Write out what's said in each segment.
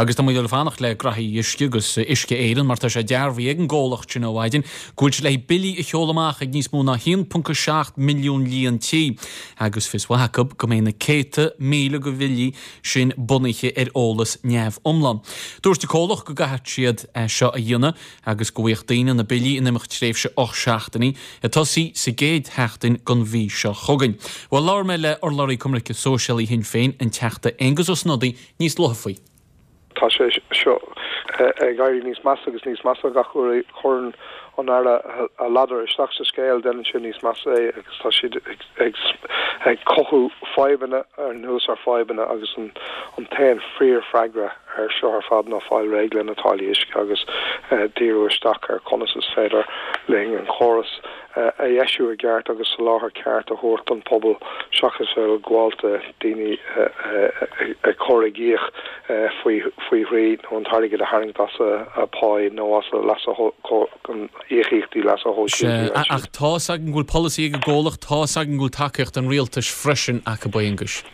Agus tá muid ag fanacht le Graithí Uisce agus Uisce Éireann mar tá sé dearbhaithe ag an gcomhlacht sin ó mhaidin go bhfuil siad le billí a sheoladh amach ag níos mó ná 1.7 milliún líon tí agus fios mhaith acu go mbeidh na céadta míle de bhillí sin bunaithe ar eolas neamhiomlán. Dúirt an comhlacht go gcaithfidh siad é seo a dhéanamh agus go bhfaigheadh daoine na billí in imeacht tréimhse 8 seachtainí, ag tosaí sa gcéad sheachtain den mhí seo chugainn. Bhuel, labhair mé le urlabhraí Coimirce Sóisialaí Shinn Féin, an Teachta Aengus Ó Snodaigh, níos luaithe faoi. Tá sé seo ag éirí níos measa agus níos measa gach uair a chuireann an Aire a ladar isteach sa scéal, déanann sé níos measa é agus tá siad ag cothú fadhbanna anuas ar fadhbanna agus an t-aon fíorfhreagra air seo ar fad ná fáil réidh le na táillí uisce agus díriú isteach ar conas is féidir linn an córas a dheisiú i gceart agus soláthar ceart a thabhairt don phobal seachas bheith ag gabháil do daoine ag cur i gcíoch faoi thrí nó an t-airgead a tharraingt as a bpáí nó as a leasa íocaíochtaí leasa shóisialta. Sea, ach tá's againn go bhfuil polasaí ag an gcomhlacht, tá's againn go bhfuil tacaíocht an rialtais freisin acu, a Aonghuis.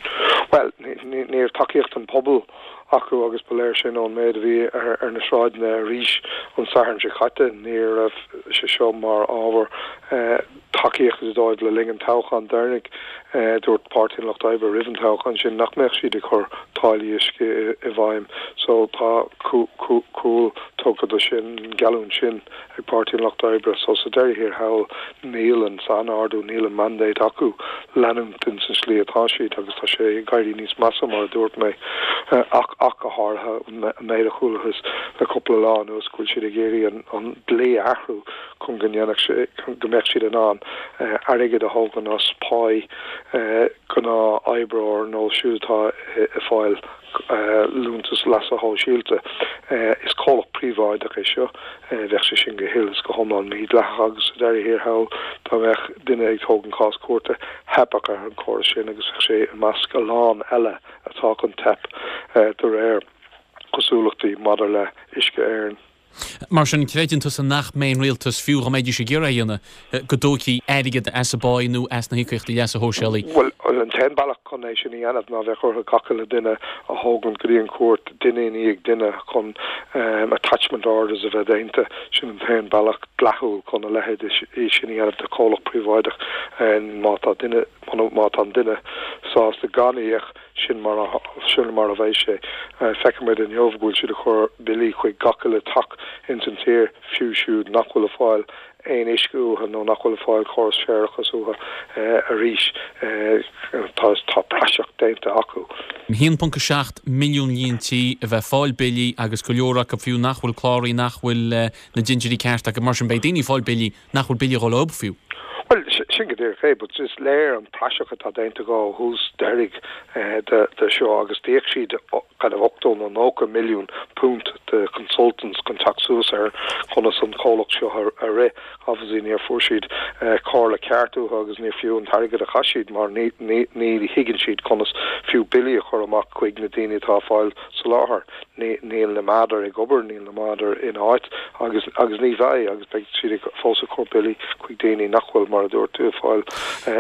Bhuel, ní raibh tacaíocht an pobail acu agus ba léir sin ón méid a bhí ar na sráideanna arís an Satharn seo caite. Ní raibh sé seo mar ábhar tacaíochta dóibh le linn an toghcháin deireanaigh. Dúirt Páirtí an Lucht Oibre roimh an toghchán sin nach mbeadh siad ag cur táillí uisce i bhfeidhm so tá cúl tugtha do sin, an geallúint sin. ag Páirtí an Lucht Oibre so sa deireadh thiar thall níl an sainordú, níl an mandate acu leanúint ins an slí atá siad agus tá sé ag éirí níos measa mar a dúirt mé ach ach go háirithe an méid a chualathas le cúpla lá anuas go bhfuil siad ag iarraidh an dlí a athrú chun go ndéanfadh sé go mbeadh siad in ann airgead a thógaint as páí gnáth-oibreoir nó siúd atá ag fáil liúntas leasa shóisialta. Is comhlacht príobháideach é seo. Bheadh sé sin go huile is go hiomlán mídhleathach agus sa deireadh thiar thall dá mbeadh duine ag tógaint cás cúirte, theipfeadh ar an chóras sin agus bheadh sé i measc a lán eile atá chun teip de réir cosúlachtaí maidir le Uisce Éireann. Mar sin, creideann tusa nach mbeidh an rialtas, fiú dá mbeidís ag iarraidh é a dhéanamh, go dtógfaí airgead as an bpáí nó as na híocaíochtaí leasa shóisialaigh? Bhuel, an t-aon bealach chun é sin a dhéanamh ná bheadh orthu gach uile duine a thógaint go dtí an chúirt, duine i ndiaidh duine, chun attachment orders a bheith déanta. Sin an t-aon bealach dleathúil chun a leithéid sin a dhéanamh de chomhlacht príobháideach. Má tá duine, má tá an duine sásta gan íoc, Sin mar a, sin mar a bheidh sé. Feicimid inniu go bhfuil siad ag cur billí chuig gach uile teach ins an tír, fiú siúd nach bhfuil ag fáil aon uisce uathu nó nach bhfuil ag fáil córas séarachais uathu arís. Tá, tá praiseach déanta acu. 1.7 milliún líon tí a bheith ag fáil billí agus go leor acu fiú nach bhfuil cláraithe, nach bhfuil na dintiúirí ceart acu. Mar sin beidh daoine ag fáil billí nach bhfuil billí ag dul chucu fiú. Bhuel, sin go díreach é, but is léir an praiseach atá déanta acu ó thús deiridh de seo agus d'íoc siad kind of 80 nó 90 milliún punt de consultants chun teacht suas ar conas an comhlacht seo a rith. Obviously níor fuair siad comhairle ceart uathu agus níor fiú an t-airgead a chaith siad mar ní ní thuigeann siad conas fiú billí a chur amach chuig na daoine atá ag fáil soláthar. Níl na méadair ag obair, níl na méadair in áit agus agus ní bheidh agus beidh siad ag fós ag cur billí chuig daoine nach bhfuil, mar a dúirt tú, ag fáil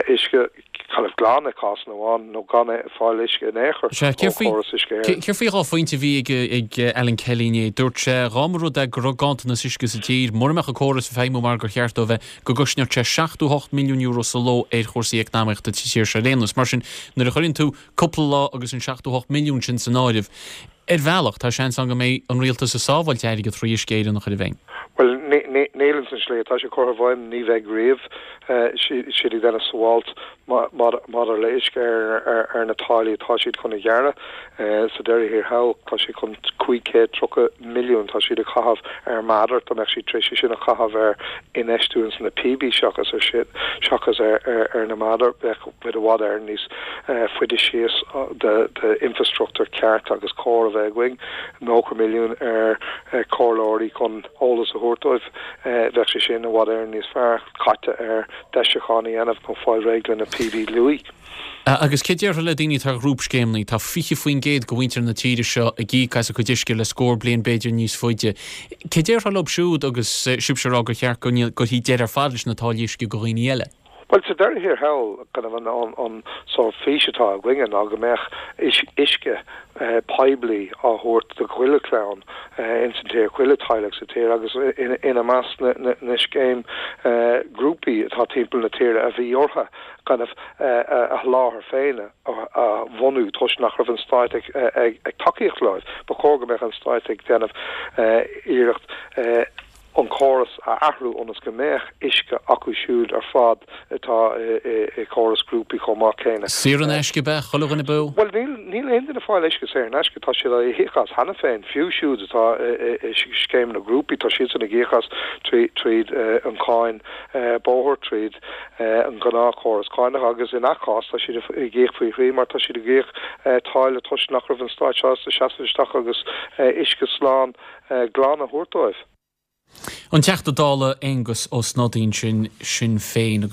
uisce kind of glan i cásanna amháin nó gan fáil uisce in aon chor ó chóras Uisce Éireann. Céard faoi dhá phointe a bhí ag ag Alan Kelly inné? Dúirt sé dhá mba rud é go raibh ganntanas uisce sa tír, mura mbeadh an córas ag feidhmiú mar gur cheart dó a bheith, go gcosnódh sé 78 milliún euro sa ló ar chúrsaí eacnamaíochta sa tír seo ar aon nós. Mar sin, nuair a chuireann tú cúpla lá agus an 78 milliún sin san áireamh. Ar bhealach, tá seans ann go mbeidh an rialtas ag sábháilt airgead thrí Uisce Éireann a chur i bhfeidhm. Bhuel, níl ins an slí atá sé curtha i bhfeidhm, ní bheidh riamh. Siad ag déanamh sabháilt maidir le Uisce Éireann ar na táillí atá siad chun a ghearradh. Sa deireadh thiar thall, tá siad chun 530 milliún tá siad ag caitheamh ar mheádair, dá mbeadh siad tar éis é sin a chaitheamh ar infheistiú ins na píobaí seachas ar sin, seachas ar na méadair, bheadh. muid i bhfad Éireann níos faide síos d'infreastruchtúr ceart agus cóir a bheith againn. 90 milliún ar chomhairleoirí chun eolas a thabhairt dóibh, bheadh sé sin i bhfad Éireann níos fearr caite ar deisiúcháin a dhéanamh nó fáil réidh le na píobaí luaidhe. Agus cé déarfá le daoine atá ar ghrúpscéimeanna? Tá 20% de mhuintir na tíre seo ag íoc as a gcuid uisce le scór bliain, b'fhéidir níos faide. Cé déarfá leo siúd agus sibhse ag rá gur cheart go gcuirfí deireadh ar fad leis na táillí uisce do dhaoine eile? Bhuel, sa deireadh thiar thall, kind of an an sórt fís atá againne ná go mbeadh uisce poiblí á thabhairt do chuile chlann ins an tír, chuile teaghlach sa tír agus ina measc na scéim grúpaí atá timpeall na tíre a bhí orthu kind of a sholáthar féin a bhunú toisc nach raibh an stát ag tacaíocht leo. Ba chóir go mbeadh an stát ag déanamh iarracht an córas a athrú ionas go mbeadh uisce acu siúd ar fad atá i gcóras grúpaí chomh maith céanna. Saor in aisce ab ea, chuile dhuine beo? Bhuel, níl, níl aon duine ag fáil uisce saor in aisce, tá siad á íoc as cheana féin, fiú siúd atá i scéimeanna grúpaí, tá siadsan ag íoc as tríd an cháin bóthair, tríd an ghnáthchóras cánach agus i ngach cás tá siad ag íoc faoi thrí mar tá siad ag íoc táille toisc nach raibh an stát sásta seasamh isteach agus uisce slán glan a thabhairt dóibh. An Teachta Dála Aengus Ó Snodaigh ansin, Sinn Féin.